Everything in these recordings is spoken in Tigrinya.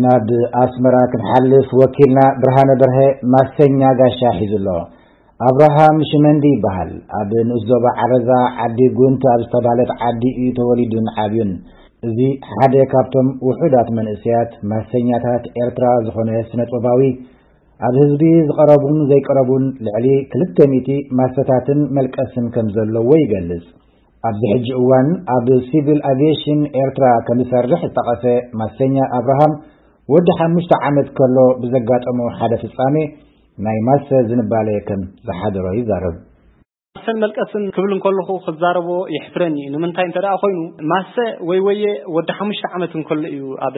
ናብ ኣስመራ ክንሓልፍ ወኪልና ብርሃነ በርሀ ማሰኛ ጋሻ ሒዙ ኣሎ። ኣብርሃም ሽመንዲ ይበሃል። ኣብ ንኡስ ዞባ ዓረዛ ዓዲ ጉንት ኣብ ዝተባህለት ዓዲ እዩ ተወሊዱን ዓብዩን። እዚ ሓደ ካብቶም ውሑዳት መንእሰያት ማሰኛታት ኤርትራ ዝኾነ ስነ ጥበባዊ፣ ኣብ ህዝቢ ዝቐረቡን ዘይቀረቡን ልዕሊ ክልተ ሚእቲ ማሰታትን መልቀስን ከም ዘለዎ ይገልጽ። ኣብዚ ሕጂ እዋን ኣብ ሲቪል ኣቪዬሽን ኤርትራ ከም ዝሰርሕ ዝጠቐሰ ማሰኛ ኣብርሃም፣ ወዲ ሓሙሽተ ዓመት ከሎ ብዘጋጠሞ ሓደ ፍጻሜ ናይ ማሰ ዝንባለ ከም ዝሓደሮ ይዛረብ። ማሰን መልቀስን ክብል እንከለኹ ክዛረቦ የሕፍረኒ እዩ። ንምንታይ እንተ ደኣ ኮይኑ፣ ማሰ ወይ ወየ ወዲ ሓሙሽተ ዓመት እንከሎ እዩ ኣብ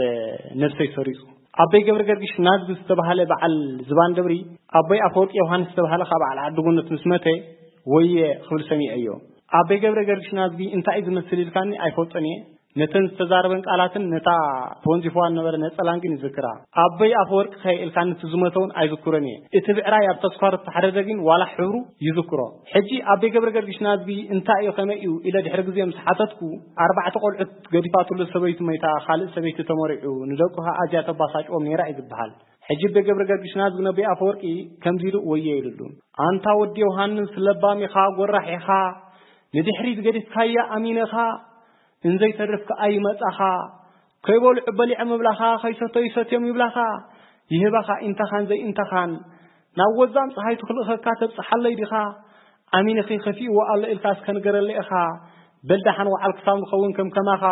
ነብሰይ ሰሪጹ። ኣቦይ ገብረ ገርግሽ ናዝጊ ዝተባህለ በዓል ዝባን ደብሪ፣ ኣቦይ ኣፈወርቂ ዮሃንስ ዝተባህለ ካብ በዓል ዓዲ ጉነት ምስ መተ፣ ወየ ክብል ሰሚዐዮ። ኣቦይ ገብረ ገርግሽ ናዝጊ እንታይ እዩ ዝመስል ኢልካኒ ኣይፈልጦን እየ። ነተን ዝተዛረበን ቃላትን ነታ ተወንዚፍዋ ዝነበረ ነጸላን ግን ይዝክራ። ኣቦይ ኣፈወርቂ ከ ኢልካኒ እቲ ዝመተ እውን ኣይዝክሮን እየ። እቲ ብዕራይ ኣብ ተስኳር እተሓረደ ግን ዋላ ሕብሩ ይዝክሮ። ሕጂ ኣቦይ ገብረ ገርግሽ ናዝጊ እንታይ እዩ፣ ከመይ እዩ ኢለ ድሕሪ ግዜ ምስ ሓተትኩ፣ ኣርባዕተ ቆልዑት ገዲፋትሉ ሰበይቱ መይታ፣ ካልእ ሰበይቲ ተመሪዑ፣ ንደቁ ከኣ ኣዝያ ተባሳጭዎም ነይራ እዩ ዝበሃል። ሕጂ ኣቦይ ገብረ ገርግሽ ናዝጊ ነቦይ ኣፈወርቂ ከምዚ ኢሉ ወየ ኢሉሉ። ኣንታ ወዲ ዮሃንስ፣ ለባም ኢኻ፣ ጎራሕ ኢኻ፣ ንድሕሪት ገዲፍካያ ኣሚነኻ፣ እንዘይተርፍ ከኣ ይመጻኻ፣ ከይበልዑ በሊዖም ይብላኻ፣ ከይሰተዩ ሰትዮም ይብላኻ፣ ይህባኻ ኢንተኻን ዘይእንተኻን፣ ናብ ወዛም ጸሃይቱ ክልእኸካ ተብጽሓለይ ዲኻ? ኣሚንኺ ከፊእዎ ኣሎ ኢልካ እስከ ንገረለይ ኢኻ፣ በል ደሓን ወዓል ክሳብ ንኸውን ከም ከማኻ፣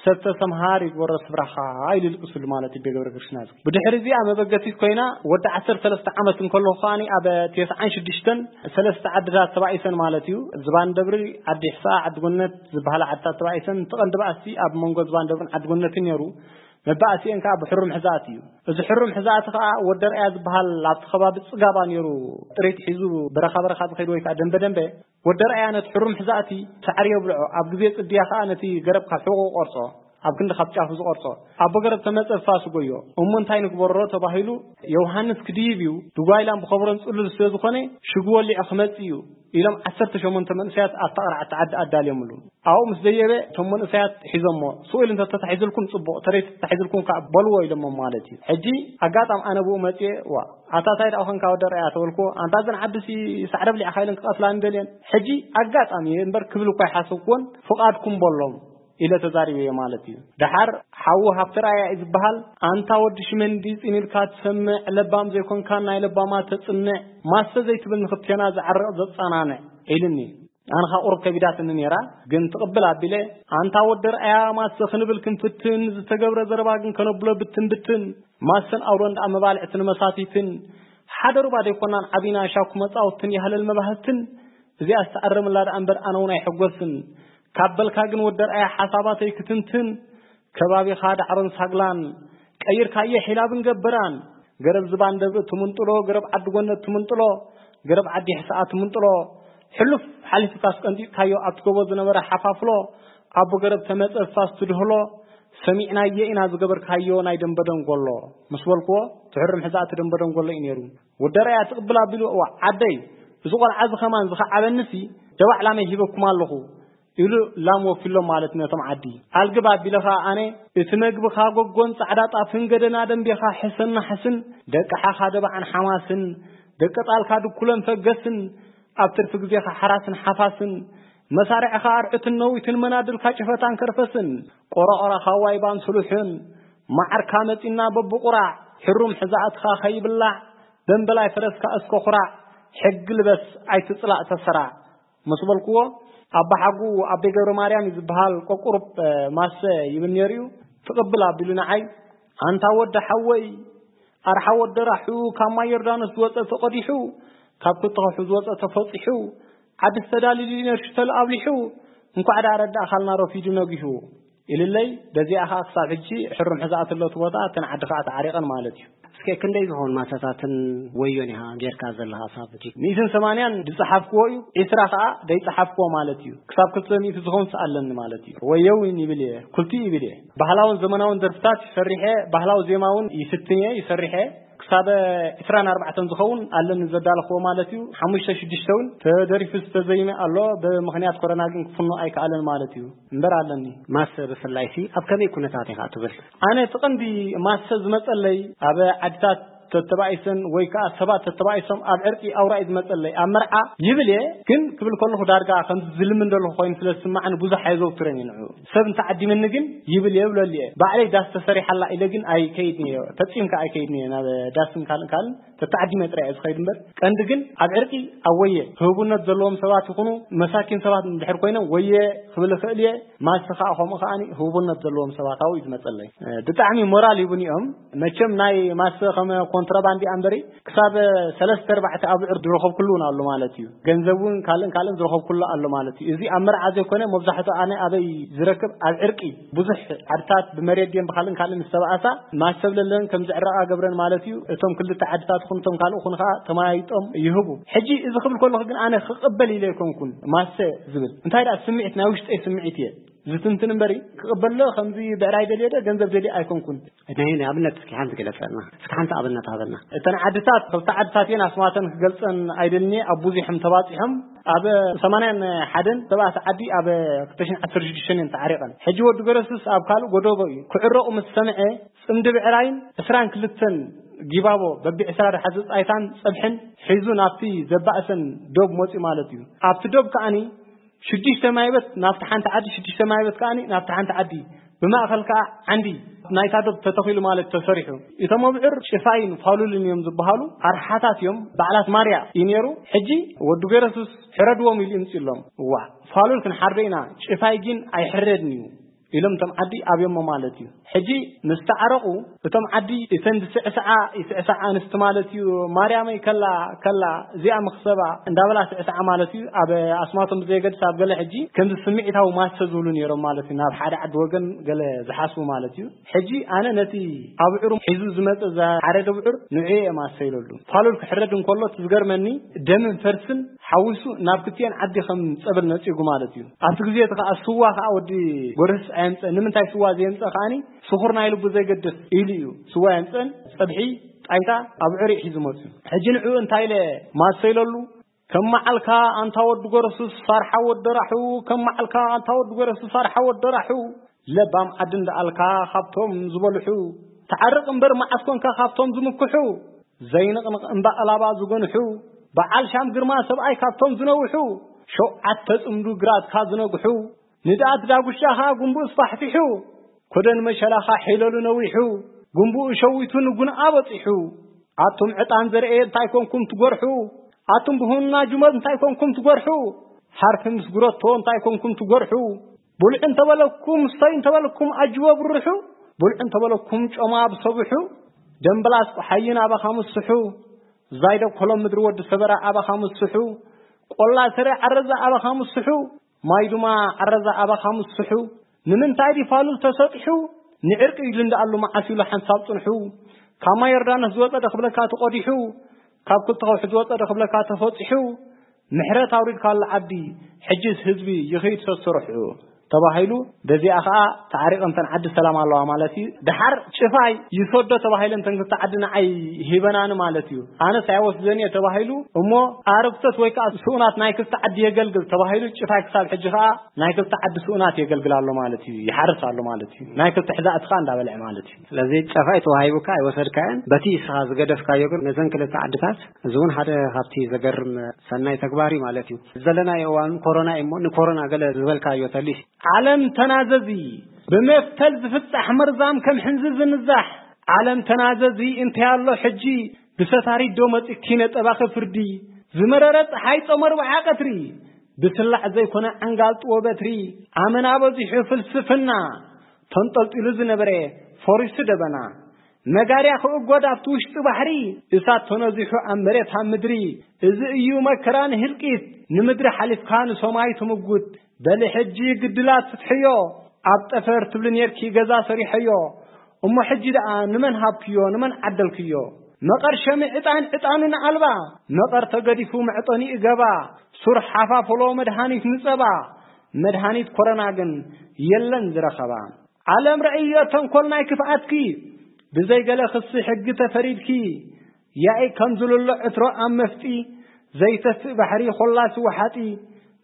ሰብ ተሰምሃር ይግበሮ ስፍራኻ ኢሉ ይልቅስሉ ማለት እዩ ኣቦይ ገብረ ገርግሽ ናዝጊ። ብድሕሪ እዚኣ መበገሲት ኮይና ወዲ ዓሰርተ ሰለስተ ዓመት እንከለኹ ከኣ ኣብ ተስዓን ሽዱሽተን ሰለስተ ዓድታት ተባኢሰን ማለት እዩ። ዝባን ደብሪ፣ ዓዲ ሕስኣ፣ ዓዲ ጎነት ዝበሃላ ዓድታት ተባኢሰን፣ እቲ ቀንዲ ባእሲ ኣብ መንጎ ዝባን ደብርን ዓዲ ጎነትን ነይሩ። መባእሲኤን ከኣ ብሕሩም ሕዛእቲ እዩ። እዚ ሕሩም ሕዛእቲ ከኣ ወዲ ኣርኣያ ዝበሃል ኣብቲ ከባቢ ጽጋባ ነይሩ፣ ጥሪት ሒዙ በረኻ በረኻ ዝኸይድ ወይ ከኣ ደንበ ደንበ። ወዲ ኣርኣያ ነቲ ሕሩም ሕዛእቲ ሳዕሪ የብልዖ። ኣብ ግዜ ጽድያ ከኣ ነቲ ገረብ ካብ ሕቖ ቆርጾ፣ ኣብ ክንዲ ካብ ጫፉ ዝቆርጾ። ኣቦ ገረብ ተመጸ ፋስ ጎዮ። እሞ እንታይ ንግበሮ ተባሂሉ፣ ዮሃንስ ክድይብ እዩ፣ ድጓይላን ብኸብሮን ጽሉል ስለ ዝኾነ ሽጉ ወሊዑ ክመጽእ እዩ ኢሎም ዓሰርተ ሸሞንተ መንእሰያት ኣብታ ቅርዓቲ ዓዲ ኣዳልዮምሉ። ኣብኡ ምስ ደየበ እቶም መንእሰያት ሒዞሞ፣ ስቕ ኢሉ እንተተታሒዙልኩም ጽቡቕ፣ ተረይ ተታሒዙልኩም ከኣ በልዎ ኢሎሞም ማለት እዩ። ሕጂ ኣጋጣም ኣነ ብኡ መጽየ፣ ዋ፣ ኣታ ታይ ደኣ ኾንካ ወዲ ኣርኣያ ተበልኩዎ። ኣንታ እዘን ዓድሲ ሳዕሪ ኣብሊዕኻ ኢለን ክቐትላኒ ደልየን። ሕጂ ኣጋጣሚ እየ እምበር ክብል እኳ ኣይሓሰብኩዎን፣ ፍቓድኩም በሎም ኢለ ተዛሪበዮ ማለት እዩ። ደሓር ሓዉ ሃብተርኣያ እዩ ዝበሃል። ኣንታ ወዲ ሽመንዲ፣ ጽን ኢልካ ትሰምዕ፣ ለባም ዘይኮንካን ናይ ለባማት ተጽንዕ፣ ማሰ ዘይትብል ንኽልቴና ዘዕርቕ ዘጸናንዕ ኢሉኒ። ኣነ ኸኣ ቁሩብ ከቢዳትኒ ነይራ፣ ግን ትቕብል ኣቢለ፣ ኣንታ ወዲ ኣርኣያ፣ ማሰ ክንብል ክንፍትን፣ ዝተገብረ ዘረባ ግን ከነብሎ ብትን ብትን፣ ማሰን ኣውሎን ደኣ መባልዕትን መሳቲትን፣ ሓደ ሩባ ዘይኮናን ዓቢና ሻኩ መጻወትን ያህለል መባህትን፣ እዚኣስ ትኣርምላ ደኣ እምበር ኣነ እውን ኣይሕጎስን። ካብ በልካ ግን ወዲ ኣርኣያ ሓሳባተይ ክትንትን፣ ከባቢኻ ዳዕሮን ሳግላን ቀይርካዮ ሒላብን ገበራን፣ ገረብ ዝባን ደብሪ ትምንጥሎ፣ ገረብ ዓዲ ጎነት ትምንጥሎ፣ ገረብ ዓዲ ሕስኣ ትምንጥሎ፣ ሕሉፍ ሓሊፍካስ ቀንጢጥካዮ ኣብቲ ጎቦ ዝነበረ ሓፋፍሎ፣ ኣቦ ገረብ ተመጸ ፋስ ትድህሎ፣ ሰሚዕናዮ ኢና ዝገበርካዮ ናይ ደንበ ደንጎሎ። ምስ በልክዎ፣ ትሕርም ሕዛእቲ ደንበ ደንጎሎ እዩ ነይሩ። ወዲ ኣርኣያ ትቕብል ኣቢሉ፣ እዋ ዓደይ፣ እዚ ቆልዓ እዚ ኸማን ዝኸዓበንሲ ደባዕ ላመይ ሂበኩም ኣለኹ። ኢሉ ላም ወኪሎም ማለት ነቶም ዓዲ። ኣልግብ ኣቢለ ኸኣ ኣነ፣ እቲ መግብኻ ጎጎን ጻዕዳ ጣፍን ገደና ደንቤኻ ሕሰን ናሕስን፣ ደቂ ሓኻ ደባዕን ሓማስን፣ ደቂ ጣልካ ድኩለን ፈገስን፣ ኣብ ትርፊ ግዜኻ ሓራስን ሓፋስን፣ መሳርዕኻ ኣርዑትን ነዊትን መናድልካ ጭፈታን ከርፈስን፣ ቆረቆራኻ ዋይባን ስሉሕን፣ መዓርካ መጺና በብቑራዕ፣ ሕሩም ሕዛእትኻ ኸይብላዕ፣ ደንበላይ ፈረስካ እስከ ኹራዕ፣ ሕጊ ልበስ ኣይትጽላእ ተሰራዕ። ምስ በልክዎ፣ ኣባሓጉ ኣቤ ገብረ ማርያም እዩ ዝበሃል፣ ቆቁሩብ፣ እ፣ ማሰ ይብል ነይሩ እዩ። ትቕብል ኣቢሉ ንዓይ፣ ኣንታ ወዲ ሓወይ፣ ኣርሓ ወዲ ራሑ፣ ካብ ማይ ዮርዳኖስ ዝወጸ ተቐዲሑ፣ ካብ ክትኸሑ ዝወጸ ተፈጺሑ፣ ዓዲ ዝተዳልዩ ነርሽተል ኣብሊሑ፣ እንኳዕ ደኣ ረዳእኻልና ረፊዱ ነጊሁ። ኢልለይ፣ በዚኣ ኸኣ ክሳብ ሕጂ ሕሩም ሕዛእቲ ኣሎ እቲ ቦታ፣ እተን ዓዲ ኸኣ ተዓሪቐን ማለት እዩ። እስከ ክንደይ ዝኾን ማሰታትን ወዮን ኢኻ ጌርካ ዘለኻ ክሳብ ሕጂ? ሚእትን ሰማንያን ዝጸሓፍክዎ እዩ፣ ዒስራ ኸኣ ደይጸሓፍክዎ ማለት እዩ። ክሳብ ክልተ ሚእቲ ዝኾን ስኣለኒ ማለት እዩ። ወዮ እውን ይብል እየ፣ ክልቲኡ ይብል እየ። ባህላውን ዘመናውን ደርፍታት ይሰርሕ እየ፣ ባህላዊ ዜማ እውን ይፍትን እየ፣ ይሰርሕ እየ። ክሳብ ዕስራን ኣርባዕተን ዝኸውን ኣለኒ ዘዳለኽዎ ማለት እዩ። ሓሙሽተ ሽዱሽተ እውን ተደሪፉ ዝተዘይመ ኣሎ። ብምኽንያት ኮሮና ግን ክፍኖ ኣይከኣለን ማለት እዩ። እምበር ኣለኒ። ማሰ ብፍላይ ሲ ኣብ ከመይ ኩነታት ኢኻ ትብል? ኣነ እቲ ቀንዲ ማሰ ዝመጸለይ ኣብ ዓድታት ተተባኢሰን ወይ ከዓ ሰባት ተተባኢሶም ኣብ ዕርቂ ኣውራ እዩ ዝመጸለይ። ኣብ መርዓ ይብል እየ፣ ግን ክብል ከለኹ ዳርጋ ከም ዝልምን ዘለኹ ኮይኑ ስለ ዝስማዕኒ ብዙሕ ኣይዘውትረን እየ ንዕኡ። ሰብ እንተዓዲመኒ ግን ይብል እየ፣ ይብለሉ እየ። ባዕለይ ዳስ ተሰሪሓላ ኢለ ግን ኣይከይድን እየ፣ ፈጺምካ ኣይከይድን እየ ናብ ዳስን ካልእ ካልእ ተተዓዲመ ጥራይ እየ ዝኸይድ እምበር። ቀንዲ ግን ኣብ ዕርቂ ኣብ ወየ ህቡነት ዘለዎም ሰባት ይኹኑ መሳኪን ሰባት እንድሕር ኮይኖም ወየ ክብል እኽእል እየ። ማልሲ ከዓ ከምኡ ከዓኒ ህቡነት ዘለዎም ሰባት ኣብኡ እዩ ዝመጸለይ። እ፣ ብጣዕሚ ሞራል ይቡን እዮም። መቸም ናይ ማሰ ከም ኮንትራባንድ እያ እምበሪ ክሳብ ሰለስተ ኣርባዕተ ኣብዑር ዝረኸብኩሉ እውን ኣሎ ማለት እዩ። ገንዘብ እውን ካልእን ካልእን ዝረኸብኩሉ ኣሎ ማለት እዩ። እዚ ኣብ መርዓ ዘይኮነ መብዛሕትኡ ኣነ ኣበይ ዝረክብ ኣብ ዕርቂ ብዙሕ ዓድታት ብመሬት ድየን ብካልእን ካልእን ዝተባኣሳ ማሰብ ለለን ከም ዝዕረቃ ገብረን ማለት እዩ። እቶም ክልተ ዓድታት ይኹን እቶም ካልእ ይኹን ከዓ ተመያይጦም ይህቡ። ሕጂ እዚ ክብል ከለኹ ግን ኣነ ክቕበል ኢለ ኣይኮንኩን ማሰ ዝብል። እንታይ ደኣ ስምዒት ናይ ውሽጠይ ስምዒት እየ ዝትንትን እምበሪ ክቕበሎ ከምዚ ብዕራይ ደልዮ ዶ ገንዘብ ደልዮ ኣይኮንኩን። ናይ ንኣብነት እስኪ ሓንቲ ግለጸልና። እስኪ ሓንቲ ኣብነት ሃበና። እተን ዓድታት ክልተ ዓድታት እየን ኣስማተን ክገልጸን ኣይደልኒ ኣብ ብዙሕም ተባጺሖም ኣብ ሰማንያን ሓደን ተባእቲ ዓዲ ኣብ ክልተ ሽሕን ዓሰርተ ሽዱሽተን እየን ተዓሪቐን። ሕጂ ወዲ ገረሱስ ኣብ ካልእ ጎደቦ እዩ ክዕረቑ ምስ ሰምዐ ጽምዲ ብዕራይን ዕስራን ክልተን ጊባቦ በቢ ዕስራ ደሓዘ ጻይታን ጸብሕን ሒዙ ናብቲ ዘባእሰን ዶብ መጺኡ ማለት እዩ። ኣብቲ ዶብ ከኣኒ ሽዱሽተ ማይበት ናብቲ ሓንቲ ዓዲ፣ ሽዱሽተ ማይበት ከኣኒ ናብቲ ሓንቲ ዓዲ፣ ብማእኸል ከኣ ዓንዲ ናይታ ዶብ ተተኺሉ ማለት ተሰሪሑ። እቶም ኣብዑር ጭፋይን ፋሉልን እዮም ዝበሃሉ፣ ኣርሓታት እዮም፣ በዓላት ማርያ እዩ ነይሩ። ሕጂ ወዲ ገረሱስ ሕረድዎም ኢሉ ይምፅሎም። እዋ ፋሉል ክንሓርዶ ኢና፣ ጭፋይ ግን ኣይሕረድን እዩ ኢሎም እቶም ዓዲ ኣብዮሞ ማለት እዩ። ሕጂ ምስ ተዓረቑ እቶም ዓዲ እተን ዝስዕስዓ ይስዕስዓ ኣንስቲ ማለት እዩ። ማርያመይ ከላ ከላ እዚኣ መኽሰባ እንዳበላ ስዕስዓ ማለት እዩ። ኣብ ኣስማቶም ብዘየገድስ ኣብ ገለ ሕጂ ከምዚ ስምዒታዊ ማሰ ዝብሉ ነይሮም ማለት እዩ። ናብ ሓደ ዓዲ ወገን ገለ ዝሓስቡ ማለት እዩ። ሕጂ ኣነ ነቲ ኣብዑር ሒዙ ዝመጸ ዝሓረደ ብዑር ንዕኡ እየ ማሰ ኢለሉ። ፋሉል ክሕረድ እንከሎ እቲ ዝገርመኒ ደምን ፈርስን ሓዊሱ ናብ ክልቲኤን ዓዲ ከም ጸበል ነጺጉ ማለት እዩ። ኣብቲ ግዜ እቲ ከኣ ስዋ ከኣ ወዲ ጎረስ ኣየምጸ። ንምንታይ ስዋ ዘየምጸ ከኣኒ ስኹር ናይ ልቡ ዘይገድፍ ኢሉ እዩ። ስዋ የምጸን ጸብሒ ጣይታ ኣብዑር እዩ ሒዙ መጽዩ። ሕጂ ንዕኡ እንታይ ኢለ ማሰ ኢለሉ? ከም መዓልካ ኣንታ ወዲ ጎረሱስ ፋርሓ ወደራሑ፣ ከም መዓልካ ኣንታ ወዲ ጎረሱስ ፋርሓ ወደራሑ። ለባም ዓዲ እንዳኣልካ ካብቶም ዝበልሑ፣ ተዓርቕ እምበር መዓስ ኮንካ ካብቶም ዝምክሑ፣ ዘይንቕንቕ እምባ ኣላባ ዝገንሑ፣ በዓል ሻም ግርማ ሰብኣይ ካብቶም ዝነውሑ፣ ሸውዓተ ጽምዱ ግራትካ ዝነግሑ፣ ንድኣት ዳጉሻኻ ጉንቡእ ስፋሕፊሑ፣ ኮደን መሸላኻ ሒለሉ ነዊሑ፣ ጉንቡኡ ሸዊቱ ንጉንኣ በጺሑ። ኣቱም ዕጣን ዘርኤ እንታይ ኮንኩም ትጎርሑ? ኣቱም ብሁና ጁመል እንታይ ኮንኩም ትጎርሑ? ሓርፊ ምስ ጉረቶ እንታይ ኮንኩም ትጎርሑ? ብልዑ እንተበለኩም፣ ስተዩ እንተበለኩም፣ ኣጅቦ ብርሑ። ብልዑ እንተበለኩም፣ ጮማ ብሰብሑ። ደምበላስ ቆሓይን ኣባኻ ምስሑ። ዛይደ ኮሎም ምድሪ ወዲ ሰበራ ኣባኻ ምስሑ። ቆላ ስረ ዓረዛ ኣባኻ ምስሑ። ማይ ድማ ዓረዛ ኣባኻ ምስሑ። ንምንታይ ድዩ ፋሉል ተሰጢሑ? ንዕርቂ ኢሉ እንዳኣሉ መዓስ ኢሉ ሓንሳብ ጽንሑ። ካብ ማይ ዮርዳኖስ ዝወጸ ዶ ክብለካ ተቆዲሑ? ካብ ክልተ ከውሒ ዝወጸ ዶ ክብለካ ተፈጺሑ? ምሕረት ኣውሪድካሉ ዓዲ፣ ሕጅስ ህዝቢ ይኸይድ ሰስርሑ ተባሂሉ፣ በዚኣ ኸኣ ተዓሪቐን እተን ዓዲ ሰላም ኣለዋ ማለት እዩ። ደሓር ጭፋይ ይሰዶ ተባሂለን እተን ክልተ ዓዲ ንዓይ ሂበናኒ ማለት እዩ። ኣነስ ኣይወስደን እየ ተባሂሉ፣ እሞ ኣረግቶት ወይ ከኣ ስኡናት ናይ ክልተ ዓዲ የገልግል ተባሂሉ፣ ጭፋይ ክሳብ ሕጂ ኸኣ ናይ ክልተ ዓዲ ስኡናት የገልግል ኣሎ ማለት እዩ፣ ይሓርስ ኣሎ ማለት እዩ። ናይ ክልተ ሕዛእቲ ኸኣ እንዳበልዐ ማለት እዩ። ስለዚ ጨፋይ ተዋሂቡካ ኣይወሰድካዮን፣ በቲ እስኻ ዝገደፍካዮ ግን ነዘን ክልተ ዓድታት፣ እዚ እውን ሓደ ካብቲ ዘገርም ሰናይ ተግባር እዩ ማለት እዩ። ዘለናዮ እዋን ኮሮና እዩ እሞ፣ ንኮሮና ገለ ዝበልካዮ ተሊስ። ዓለም ተናዘዚ፣ ብመፍተል ዝፍጻሕ መርዛም ከም ሕንዚ ዝንዛሕ። ዓለም ተናዘዚ፣ እንታይ ኣሎ ሕጂ ብሰታሪት ዶ መጺኪ ነጠባኺ ፍርዲ? ዝመረረ ጸሓይ ጾም ኣርብዓ ቀትሪ፣ ብስላዕ ዘይኮነ ዓንጋል ጥዎ በትሪ። ኣመና በዚሑ ፍልስፍና፣ ተንጠልጢሉ ዝነበረ ፈሪሱ ደበና። መጋርያ ክእጎድ ኣብቲ ውሽጢ ባሕሪ፣ እሳት ተነዚሑ ኣብ መሬት ኣብ ምድሪ። እዚ እዩ መከራ ንህልቂት፣ ንምድሪ ሓሊፍካ ንሰማይ ትምጉት። በሊ ሕጂ ግድላት ፍትሕዮ፣ ኣብ ጠፈር ትብሊ ኔርኪ ገዛ ሰሪሐዮ። እሞ ሕጂ ደኣ ንመን ሃብክዮ፣ ንመን ዓደልክዮ? መቐር ሸሚ ዕጣን፣ ዕጣኑ ንኣልባ፣ መቐር ተገዲፉ መዕጠኒኡ ገባ። ሱር ሓፋፍሎ መድሃኒት ንጸባ፣ መድሃኒት ኮረና ግን የለን ዝረኸባ። ዓለም ረእዮ ተንኮል ናይ ክፍኣትኪ፣ ብዘይ ገለ ክሲ ሕጊ ተፈሪድኪ። ያኢ ከም ዝልሎ ዕትሮ ኣብ መፍጢ፣ ዘይተፍእ ባሕሪ ኾላሲ ወሓጢ፣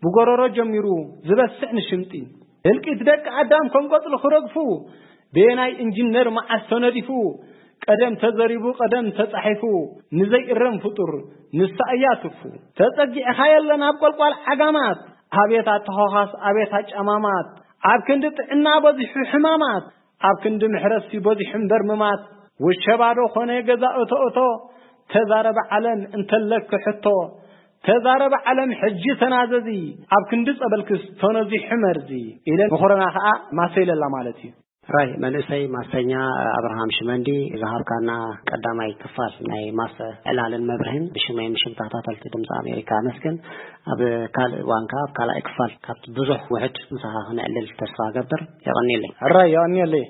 ብጎረሮ ጀሚሩ ዝበስዕ ንሽምጢ። ህልቂት ደቂ ኣዳም ከም ቆጽሊ ክረግፉ፣ በየናይ ኢንጂነር መዓስ ተነዲፉ፣ ቀደም ተዘሪቡ ቀደም ተጻሒፉ፣ ንዘይእረም ፍጡር ንሳ እያ ትፉ። ተጸጊዕኻ የለ ናብ ቆልቋል ዓጋማት፣ ኣቤት ኣተኾኻስ ኣቤት ኣጫማማት፣ ኣብ ክንዲ ጥዕና በዚሑ ሕማማት፣ ኣብ ክንዲ ምሕረትሲ በዚሑ እምበር ምማት። ውሸባ ዶ ኾነ ገዛ እቶ እቶ፣ ተዛረበ ዓለም እንተለኪ ሕቶ፣ ተዛረበ ዓለም ሕጂ ተናዘዚ፣ ኣብ ክንዲ ጸበልክስ ተነዚሑ መርዚ፣ ኢለ ንኾረና ኸኣ ማሰ ኢለላ ማለት እዩ። ራይ መንእሰይ ማስተኛ ኣብርሃም ሽመንዲ፣ ዝሃብካና ቀዳማይ ክፋል ናይ ማሰ ዕላልን መብርህን ብሽመይ ምሽም ተኸታተልቲ ድምፂ ኣሜሪካ ኣመስግን። ኣብ ካልእ እዋን ከኣ ኣብ ካልኣይ ክፋል ካብቲ ብዙሕ ውሕድ ምሳኻ ክነዕልል ተስፋ እገብር። የቐንየለይ። ሕራይ የቐንየለይ።